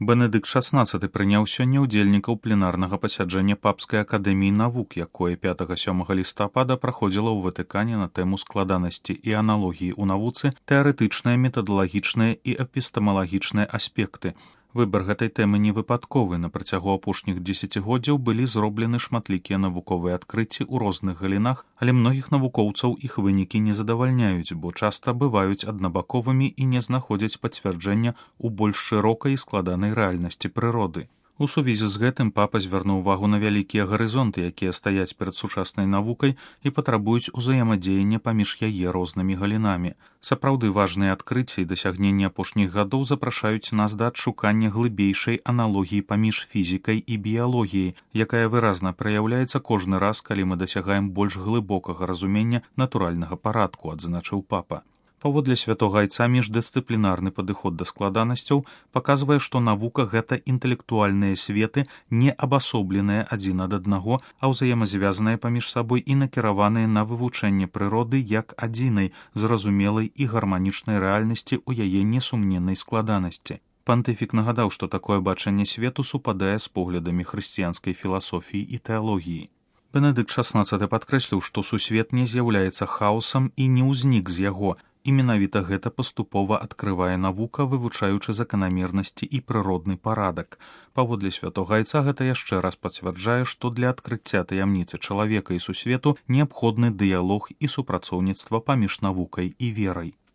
Бенедыкт XVI прыняў сёння ўдзельнікаў пленарнага пасяджэння Папскай акадэміі навук, якое 5-7 лістапада праходзіла ў Ватыкане на тэму складанасці і аналогіі ў навуцы, тэарэтычныя, метадалагічныя і эпістэмалагічныя аспекты. Выбар гэтай тэмы не выпадковы. На працягу апошніх дзесяцігоддзяў былі зроблены шматлікія навуковыя адкрыцці ў розных галінах, але многіх навукоўцаў іх вынікі не задавальняюць, бо часта бываюць аднабаковымі і не знаходзяць пацвярджэння ў больш шырокай і складанай рэальнасці прыроды. У сувязі з гэтым папа звярнуў увагу на вялікія гарызонты, якія стаяць перад сучаснай навукай і патрабуюць узаемадзеяння паміж яе рознымі галінамі. Сапраўды важныя адкрыцці і дасягненні апошніх гадоў запрашаюць нас да адшукання глыбейшай аналогіі паміж фізікай і біялогіяй, якая выразна праяўляецца кожны раз, калі мы дасягаем больш глыбокага разумення натуральнага парадку, адзначыў папа. Паводле святога айца міждысцыплінарны падыход да складанасцяў паказвае, што навука гэта інтэлектуальныя светы, не абасобленыя адзін ад аднаго, а ўзаемазвязаныя паміж сабой і накіраваныя на вывучэнне прыроды як адзінай, зразумелай і гарманічнай рэальнасці ў яе несумненнай складанасці. Пантыфік нагадаў, што такое бачанне свету супадае з поглядамі хрысціянскай філасофіі і тэалогіі. Бенедыкт XVI падкрэсліў, што сусвет не з'яўляецца хаосам і не ўзнік з яго, і менавіта гэта паступова адкрывае навука, вывучаючы заканамернасці і прыродны парадак. Паводле святога айца гэта яшчэ раз пацвярджае, што для адкрыцця таямніцы чалавека і сусвету неабходны дыялог і супрацоўніцтва паміж навукай і верай.